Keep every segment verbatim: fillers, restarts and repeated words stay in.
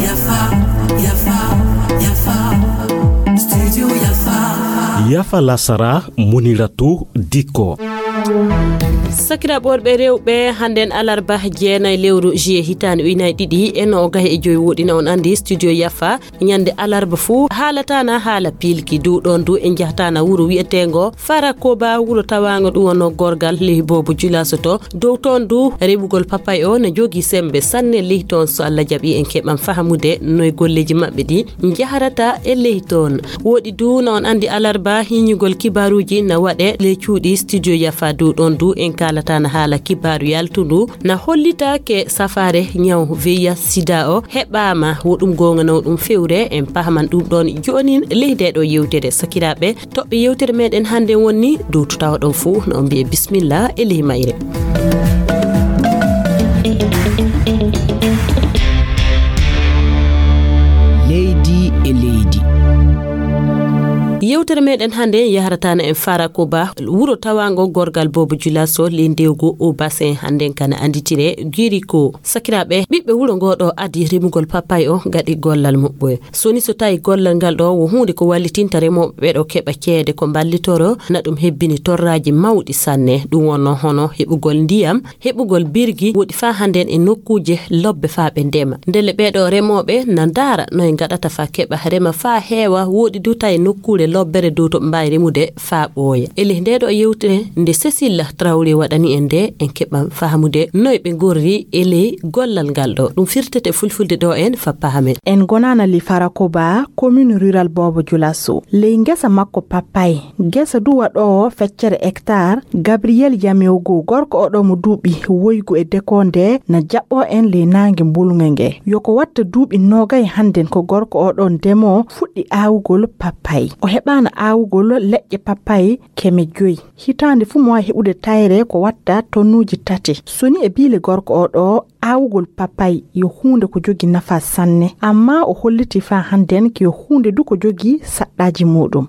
Yafa, yafa, yafa. Studio Yafa. Yafa lasara, Muniratu Diko. Sakiraaɓe worɓe rewɓe, hannden alarba jeenay lewru juillet hitaande ujunaaji ɗiɗi e noogay e joy, woɗina on anndi studio Yafa. Ñande alarba fuu haalataana haala piilki, dow ɗoon du en njahtaana wuro wi'eteengo Farakoba, wuro tawaango ɗum wonno gorgal ley Boobo Julaso to. Dow toon du reɓugol papay o ne jogii semmbe sanne ley toon. So Allah jaɓii en keɓan fahamude noy golleeji maɓɓe ɗi njahrata e ley toon. Woɗi du na on anndi alarba hiñugol kibaaruuji na waɗe ley cuuɗi studio Yafa, dow ɗoon du en kaalataana haala kibaaru yaltundu na hollitaake safaare ñaw V I H sida o heɓaama. Wo ɗum goonga naw ɗum fewre, en pahaman ɗum ɗoon joonin ley ndee ɗo yewtere. Sakiraaɓe, toɓɓe yewtere meɗen hannde wonni dow to tawa ɗon fuu, no on mbi'e bismillah e ley mayre. Leydi e leydi. Yewtere meɗen hannde yahrataana en Farakoba, wuro tawaango gorgal Boobo Julaso ley ndewgo o basin, hannden kana annditire Giriko. Sakiraaɓe, ɓiɓɓe wuro ngo ɗo adi rimugol papay o gaɗi gollal muɓɓoye. So ni so tawi gollal ngal ɗo wo huunde ko wallitinta remooɓe ɓe ɗo keɓa ceede ko mballitoro, na ɗum hebbini torraaji mawɗi sanne. Ɗum wonno hono heɓugol ndiyam, heɓugol birgi, woɗi faa hannden e nokkuuje lobbe faa ɓe ndema. Ndelle ɓee ɗo remooɓe na ndaara no e ngaɗata faa keɓa rema faa heewa, woɗi du tawi nokkuure lobbere dow to ɓe mbaawi remude faa ɓooya. E ley ndee ɗo yewtere nde Cécile Traoré waɗani en nde, en keɓan fahamude noy ɓe ngorri e ley gollal ngal ɗo. Ɗum firtete fulfulde ɗo en fa pahamen. En gonaana li Farakoba, commune rurale Boobo Julaso. Ley ngesa makko papay, ngesa du waɗoowo feccere hectare, Gabriel Yamewgo, gorko o ɗo mo duuɓi woygu e dekonde, na jaɓɓo en ley naange mbulŋe nge. Yo ko watta duuɓi noogay hannden ko gorko o ɗo ndemoo fuɗɗi aawugol papay. O heɓaana aawugol leƴƴe papay keme joy. Hitaande fuu mo waawi heɓude tayre ko watta tonnuuji tati. So ni e biile gorko o ɗo, aawugol papay yo huunde ko jogii nafa sanne, amma o hollitii faa hannden ko yo huunde du ko jogii saɗɗaaji muuɗum.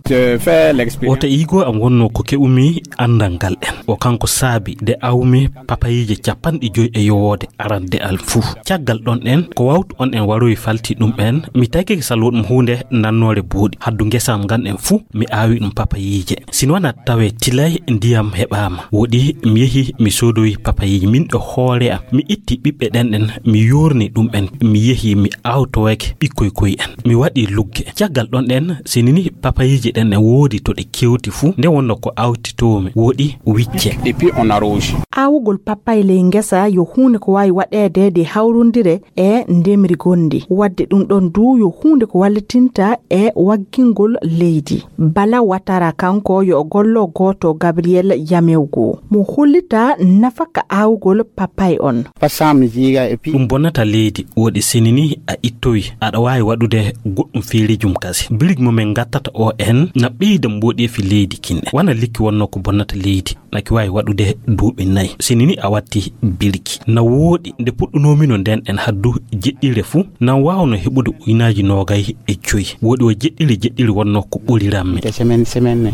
Oto iigo am wonno ko keɓumi anndal ngal en. O kanko saabi nde awmi papayiije capanɗe joy e yowoode arande am fuu. Caggal ɗon en, ko wawtu on en waroyi falti ɗum en, mi tagike salwo ɗum huunde nannoore buuɗi. Haddu ngesa am ngan en fuu, mi aawi ɗum papayiije. Sino wona tawe tilay ndiyam heɓaama. Woɗi mi yehi mi soodoyi papayiije min ɗo hoore am. Mi itti ɓiɓɓe ɗen ɗen, mi yoorni ɗum en, mi yehi mi awtowake ɓikkoy koy en. Mi waɗi lugge. Caggal ɗon ɗen, sinini papayiije ɗen ɗen woodi to ɗe kewti fuu, nde wonno ko awtitoomi, woɗi wicce. Et puis on arrose. Aawugol papay ley ngesa yo huunde ko waawi waɗeede de hawrondire e ndemri gonndi. Waɗde ɗum ɗon du yo huunde ko wallitinta e waggingol leydi. Bala Watara kanko yo o gollo gooto Gabriel Yamewgo. Mo hollita nafaka aawugol papay on. Ɗum bonnata leydi, woɗi sinini a ittowi, aɗa waawi waɗude goɗɗum feerijum kasi. Birig mo min ngattata o en na ɓeyda mboɗeefi leydi kinɗe. Wana likki wonno ko bonnata leydi. Naki waawi waɗude duuɓi nayi. Sinini a watti birki. Na wooɗi nde puɗɗunoomino nden en haddu jeɗɗire fuu, nan waawno heɓude uynaaji noogay e joy. Wooɗi o jeɗɗiri jeɗɗiri wonno ko ɓurirammi.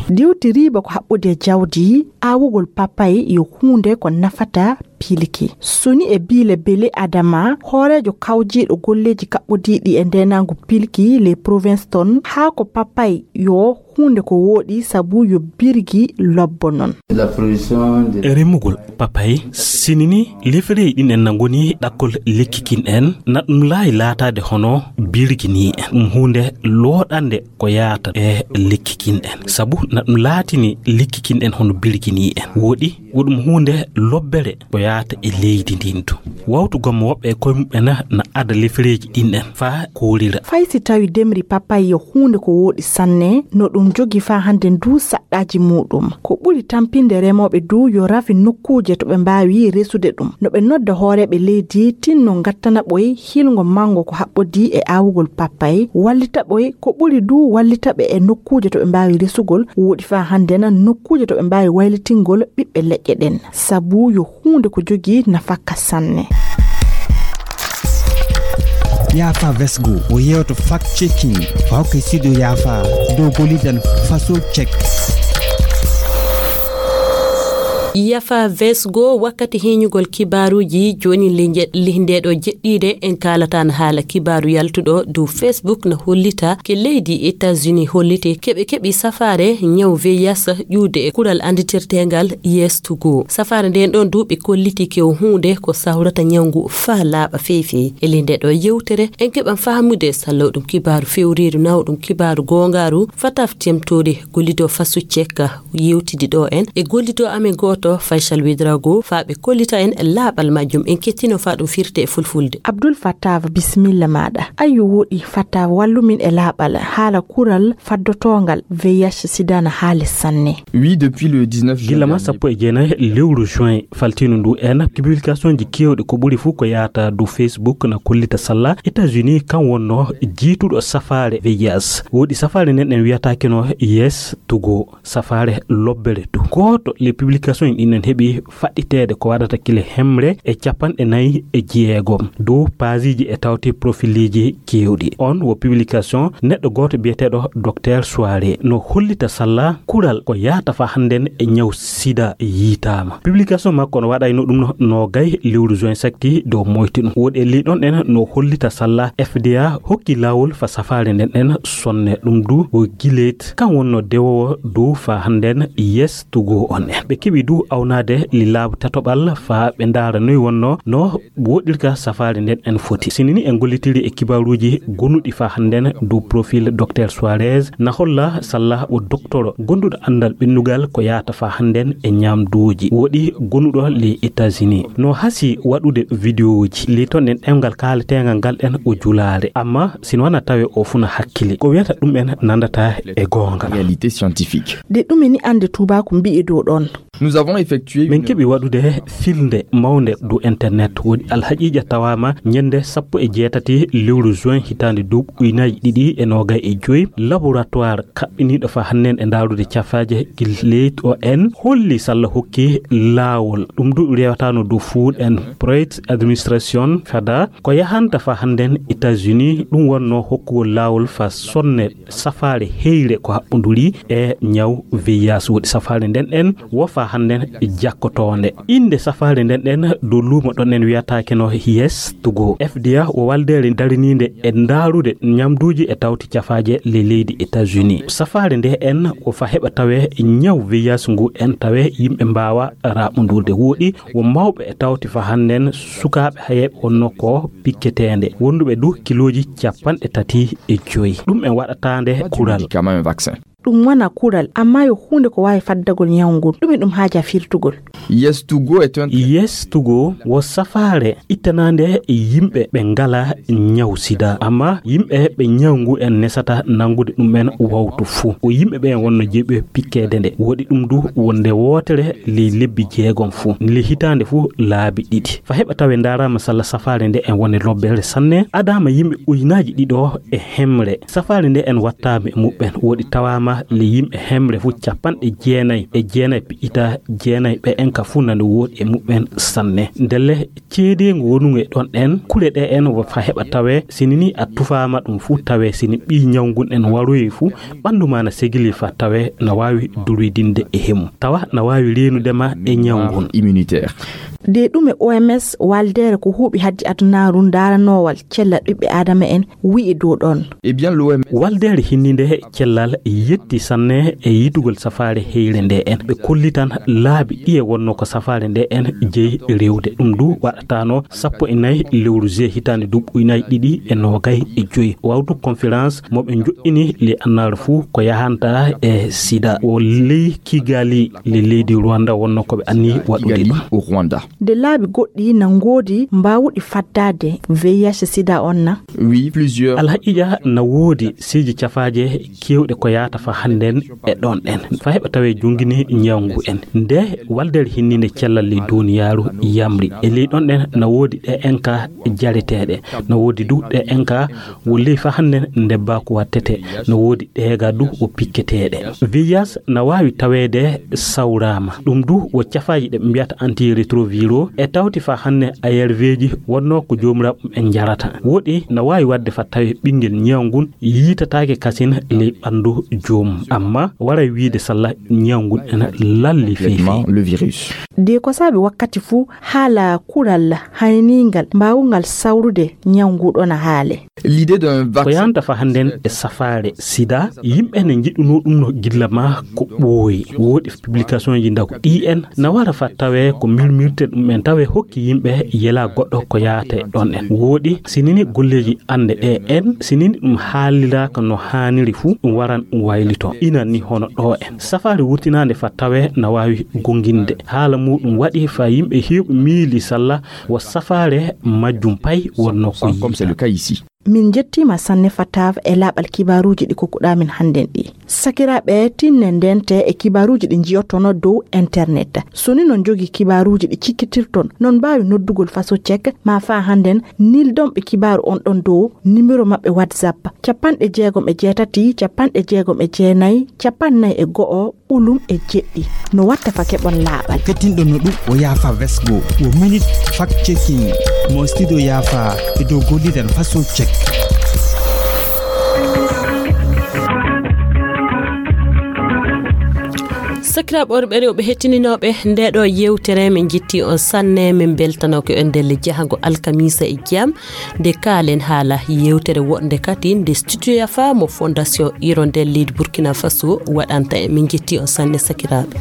Diwti riiba ko haɓɓude e jawdi, aawugol papay yo huunde ko nafata pilki. Soni e biile Bele Adama, hooreejo kawjiiɗo golleeji kaɓɓodiiɗi e ndeenaangu pilki les provinces ton, haa ko papay yo huunde ko wooɗi sabu yo birgi lobbo non. E remugol papay, sinini lefereyi ɗin en na ngoni ɗakkol lekki kin en, na ɗum laayi laataade hono birgi ni en. Ɗum huunde looɗande ko yaata e lekki kin en. Sabu na ɗum laatini lekki kin en hono birgi ni en. Wooɗi, wo ɗum huunde lobbere ko yaata e leydi ndin du. Wawtugol mo woɓɓe e koye muɓɓen na ada lefereji ɗin en faa koolira. Fay si tawi demri papay yo huunde ko wooɗi sanne, no ɗum jogi faa hannde ndu saɗɗaaji muuɗum. Ko ɓuri tampinde remooɓe du yo rafi nokkuuje to ɓe mbaawi resude ɗum. No ɓe nodda hooreeɓe leydi tinno ngattana ɓoy hilngo manngo ko haɓɓodii e aawugol papay, wallita ɓoy ko ɓuri du wallita ɓe e nokkuuje to ɓe mbaawi resugol. Wooɗi faa hannde na nokkuuje to ɓe mbaawi waylitingol ɓiɓɓe leƴƴe ɗen. Sabu yo huunde ko jogii nafaka sanne. Yaafa Vesgo o yeewto fact checking ko hokke studio Yaafa dow gollidan faso check. Yafa vesgo wakkati hiñugol kibaaruuji jooni. Ndeeɗo jeɗɗiiɗe en kaalatan haala kibaaru yaltuɗo dow Facebook na hollita ke leydi États-Unis holliti keɓe keɓi safaare ñaw V I H ƴuude e kural anditirteengal Yes to Go. Safaare nden ɗon duuɓi kolliti ke o huunde ko sawrata ñaw ngu faa laaɓa feefee. E ley nde ɗo yewtere en keɓan faamude sallawɗum kibaaru fewriiru nawɗum kibaaru goongaaru fataf temtori gollido fasu cekka yewtidi ɗo en e gollido amen gooto Faysal Widrago faa ɓe kollita en laaɓal majjum. En kettino faa ɗum firte e fulfulde. Abdul Fattava, bisimilla maaɗa. Ayyo woɗi Fattava, wallumin e laaɓal haala kural faddotoongal V I H sida na haali sanne. Oui, depuis le dix-neuf juin gila ma dernier. Sappo e jeenayi lewru juin faltino ndu en publication ji kewɗi ko ɓuri fof ko yaata dow Facebook na kollita salla États-Unis kan wonno jiituɗo safaare V I H. Woɗi safaare nden en wiyata keno Yes to Go, safaare lobbere to. Gooto les publications en ɗin en heɓi faɗɗiteede ko waɗata kile hemre e capanɗe nayi e jeegom dow paasiiji e tawti profiliji kewɗi. On wo publication neɗɗo gooto biyeteeɗo Docteur Soirée no hollita salla kural ko yaata fa hannden e ñaw sida yiitaama. Publication makko no waɗayno ɗum no, no gay lewru juin sakti dow moyti ɗum. Woɗi e ley ɗon en no hollita salla F D A hokki laawol fa safaare nden en sonne ɗum du o gileet kan wonno dewowo dow fa hannden Yes to Go on en. Ɓe keɓi du awnaade li laabu tatoɓal fa ɓe ndaara noy wonno no woɗirka safaare nden en foti. Sinini en gollitiri e kibaaruuji gonuɗi fa hannden dow profil Docteur Suarez na holla salla o doktoro gonduɗo anndal ɓennugal ko yaata fa hannden e ñamduuji woɗi gonuɗo les États-Unis. No hasi waɗude vidéoji li ton en ɗemngal kaaletengal ngal en o julaare. Amma sino wana tawe o funa hakkili. Ko wiyata ɗum en nandata e goonga. Réalité scientifique. De ɗum eni annde tuubaaku mbi'i dow ɗon. Nous avons effectué min une keɓi waɗude filnde mawnde dow internet woɗi alhaqiiqa tawaama ñande sappo e jeetati lewru juin hitaande duuɓi ujunaaji ɗiɗi e noogay e joy laboratoire kaɓɓiniiɗo fa hannden e ndaarude cafaaje gil leydi o en holli salla hokki laawol ɗum du rewataano dow food and bread administration fada ko yahanta fa hannden États-Unis ɗum wonno hokkugol laawol fa sonne safaare heyre ko haɓɓoduri e ñaw V I H woɗi safaare nden en wo fa hannden jakkotoonde. Innde safaare nden en dow luumo ɗon en wiyataake no Yes to Go. F D A wo waldeere dariniinde e ndaarude ñamduuji e tawti cafaaje le leydi États-Unis. Safaare nde en wo fa heɓa tawe ñaw V I H ngu en tawe yimɓe mbaawa raɓɓodurde woɗi wo mawɓe e tawti fa hannden sukaaɓe hayeeɓe wonno ko pikketeende wonduɓe du kilooji capanɗe tati e joyi. Ɗum en waɗataande kural. Médicament, un vaccin. Ɗum wona kural, amma yo huunde ko waawi faddagol ñaw ngun. Ɗum e ɗum haaja firtugol. Yes to Go est un Yes to Go wo safaare ittanaande yimɓe ɓe ngala ñaw sida. Amma yimɓe ɓe ñaw ngu en nesata nanngude ɗum en wawtu fuu. O yimɓe ɓe en wonno jeeɓi pikkeede nde. Woɗi ɗum du wonde wootere ley lebbi jeegom fuu. Nde hitaande fuu laabi ɗiɗi. Fa heɓa tawe ndaaraama salla safaare nde en woni lobbere sanne. Adaama yimɓe ujunaaji ɗiɗo e hemre. Safaare nde en wattaama e muɓɓen. Woɗi tawaama le yimɓe hemre fuu capanɗe jeenayi e jeenayi piƴƴita jeenayi ɓe en ka fuu nande woɗi e muɓɓen sanne. Ndelle ceedeengu wonungu e ɗon ɗen, kule ɗe en wo fa heɓa tawe, sini ni a tufaama ɗum fuu tawe, sini ɓii ñaw ngun en waroyi fuu, ɓanndu ma na segili fa tawe, na waawi durwidinde e hemu. Tawa na waawi reenude ma e ñaw ngun. Immunitaire. De ɗum e O M S, waldeere ko huuɓi haddi adunaaru ndaaranoowal cellal ɓiɓɓe Aadama en, wi'i dow ɗon. Eh bien, l'O M S. Waldeere hinninde cellal yetti sanne e yitugol safaare heyre nde en. Ɓe kollitan laabi ɗiye wonno ko safaare nde en jeyi rewde. Ɗum du waɗataano sappo e nayi lewru juillet hitaande duuɓi ujunaaji ɗiɗi e noogay e joyi. Wawtu conférence mo ɓe joɗɗini le annaara fuu ko yahanta e sida. O ley Kigali le leydi Rwanda wonno ko ɓe anni waɗude Kigali, ɗum. Au Rwanda. Nde laabi goɗɗi na ngoodi mbaawuɗi faddaade V I H sida on na? Oui, plusieurs. Alhaqiiqa na woodi seeji cafaaje keewɗe ko yaata fa hannden e ɗon ɗen. Fa heɓa tawee jongini ñawngu en. Nde waldeere hinninde cellal ley duuniyaaru yamri. E ley ɗon ɗen na woodi ɗe en ka jareteeɗe. Na woodi du ɗe en ka wo ley fa hannden ndebbaaku wattete. Na woodi ɗeega du wo pikketeeɗe. V I H na waawi taweede sawraama. Ɗum du wo cafaaji ɗe ɓe mbiyata antirétroviraux e tawti fa hannden A R V ji wonnoo ko joomiraaɓe ɓen njarata. Woɗi na waawi waɗde fa tawee ɓinngel ñaw ngun yiitataake kasin ley ɓanndu joom Amma waray wiide salla ñawngu ena lalli feefi. De ko saabi wakkati fuu haala kural hayniingal mbaawungal sawrude ñawngu ɗo na haale. Ko yanta fa hannden e safaare sida, yimɓe ne njiɗunoo ɗum no gilla ma ko ɓooyi. Woodi publication ji ndaw ɗi en na wara fa tawe ko milmirte ɗum en tawe hokki yimɓe yela goɗɗo ko yaate ɗon en. Woodi sinini golleeji annde ɗe en sinini ɗum haaliraaka no haaniri fuu ɗum waran waylito. Inan ni hono ɗo en. Safaare wurtinaande fa tawe na waawi gonginde. Haala muuɗum waɗi fa yimɓe heewɓe miili salla wo safaare majjum pay wonno ko yiita. Min njettiima sanne Fatav e laaɓal kibaaruuji ɗi kokkuɗaa min hannden ɗi. Sakiraaɓe, tinnen ndente e kibaaruuji ɗi njiyotono dow internet. So ni non jogi kibaaruuji ɗi cikkitirton, non mbaawi noddugol faso cek ma fa hannden nildonɓe kibaaru on ɗon dow nimero maɓɓe WhatsApp capanɗe jeegom e jeetati, capanɗe jeegom e jeenayi, capannay e go'o, ɓolum e jeɗɗi. No watta fa keɓon laaɓal. Kettinɗo no ɗum o yaafa vesgo, o minute fact checking. Mo studio yaafa e dow gollidan faso cek. Sakiraaɓe worɓe rewɓe hettininooɓe nde ɗo yewtere, min njetti on sanne, min mbeltanoo ko on ndelle jahango alkamisa e jam. Nde kaalen haala yewtere woɗnde kadi nde studio yafa mo Fondation Hirondelle leydi Burkina Faso waɗanta en. Min njetti on sanne sakiraaɓe.